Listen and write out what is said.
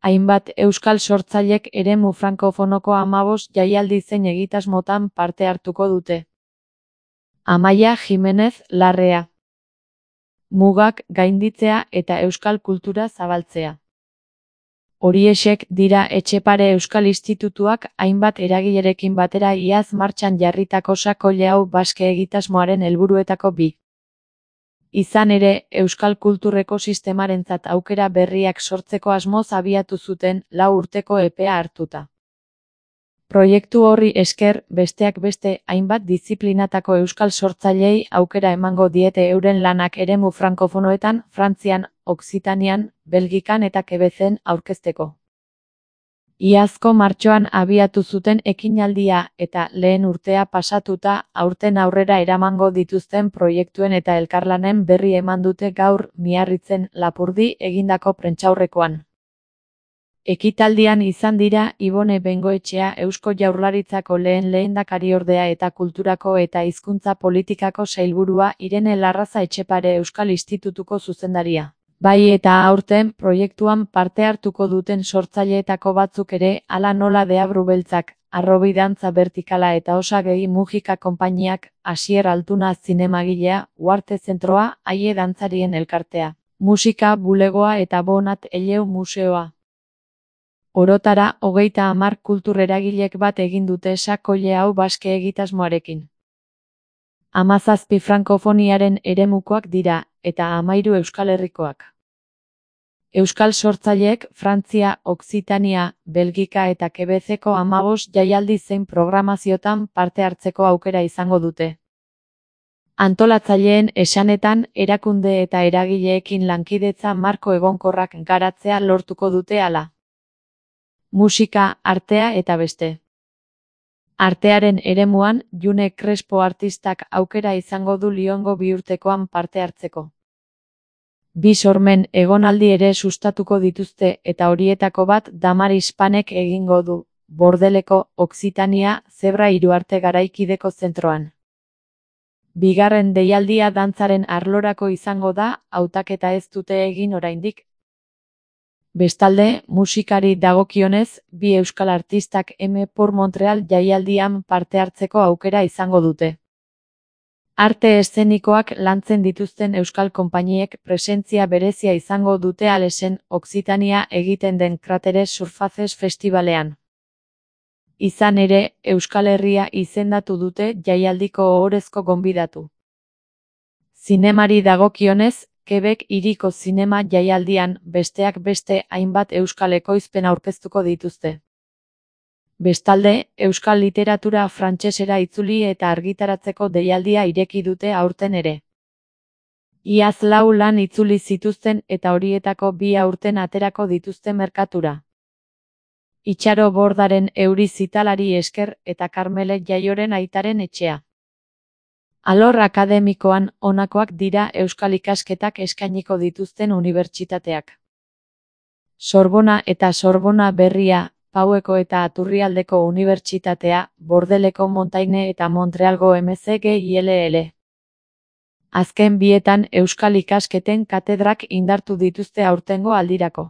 Hainbat euskal sortzailek eremu frankofonoko 15 jaialdi zein egitasmotan parte hartuko dute. Amaia Jimenez Larrea. Mugak gainditzea eta euskal kultura zabaltzea. Horiexek dira Etxepare Euskal Institutuak hainbat eragilerekin batera iaz martxan jarritako Sakolle hau baske egitasmoaren helburuetako bi. Izan ere, euskal kultur ekosistemarentzat aukera berriak sortzeko asmoz abiatu zuten 4 urteko epea hartuta. Proiektu horri esker, besteak beste, hainbat diziplinatako euskal sortzailei aukera emango diete euren lanak eremu frankofonoetan, Frantzian, Okzitanian, Belgikan eta Quebecen aurkezteko. Iazko martxoan abiatu zuten ekinaldia eta lehen urtea pasatuta aurten aurrera eramango dituzten proiektuen eta elkarlanen berri eman dute gaur Miarritzen Lapurdi egindako prentsaurrekoan. Ekitaldian izan dira Ibone Bengoetxea Eusko Jaurlaritzako lehendakariordea eta Kulturako eta Hizkuntza Politikako sailburua Irene Larraza Etxepare Euskal Institutuko zuzendaria. Bai eta aurten proiektuan parte hartuko duten sortzaileetako batzuk ere, hala nola Deabru Beltzak, Arrobi Dantza Bertikala eta Osagegi Mujika konpainiak, Asier Altuna zinemagilea, Uarte Zentroa, Aie Dantzarien Elkartea, Musika Bulegoa eta Bonat Eleu Museoa. Orotara, 30 kultur eragilek bat egin dute Sakolle hau baske egitasmoarekin. 17 frankofoniaren eremukoak dira, eta 13 Euskal Herrikoak. Euskal sortzaileek Frantzia, Okzitania, Belgika eta Quebeceko 15 jaialdi zein programaziotan parte hartzeko aukera izango dute. Antolatzaileen esanetan, erakunde eta eragileekin lankidetza marko egonkorrak garatzea lortuko dute hala. Musika, artea eta beste. Artearen eremuan, June Crespo artistak aukera izango du Liongo 2 urtekoan parte hartzeko. 2 sormen egonaldi ere sustatuko dituzte eta horietako bat Damaris Panek egingo du, Bordeleko, Okzitania, Zebra Hiruarte Garaikideko zentroan. Bigarren deialdia dantzaren arlorako izango da, hautaketa ez dute egin oraindik. Bestalde, musikari dagokionez, 2 euskal artistak M. Por Montreal jaialdian parte hartzeko aukera izango dute. Arte eszenikoak lantzen dituzten euskal konpainiek presentzia berezia izango dute Alesen, Okzitania egiten den Krateres Surfaces Festivalean. Izan ere, Euskal Herria izendatu dute jaialdiko ohorezko gonbidatu. Zinemari dagokionez, Quebec hiriko zinema jaialdian besteak beste hainbat euskal ekoizpen aurkeztuko dituzte. Bestalde, euskal literatura frantsesera itzuli eta argitaratzeko deialdia ireki dute aurten ere. Iaz 4 lan itzuli zituzten eta horietako 2 aurten aterako dituzte merkatura. Itxaro Bordaren Euri zitalari esker eta Karmele Jaioren aitaren etxea. Alor akademikoan honakoak dira euskal ikasketak eskainiko dituzten unibertsitateak. Sorbona eta Sorbona Berria, Paueko eta Aturrialdeko Unibertsitatea, Bordeleko Montaigne eta Montrealgo MCGILL. Azken bietan euskal ikasketen katedrak indartu dituzte aurtengo aldirako.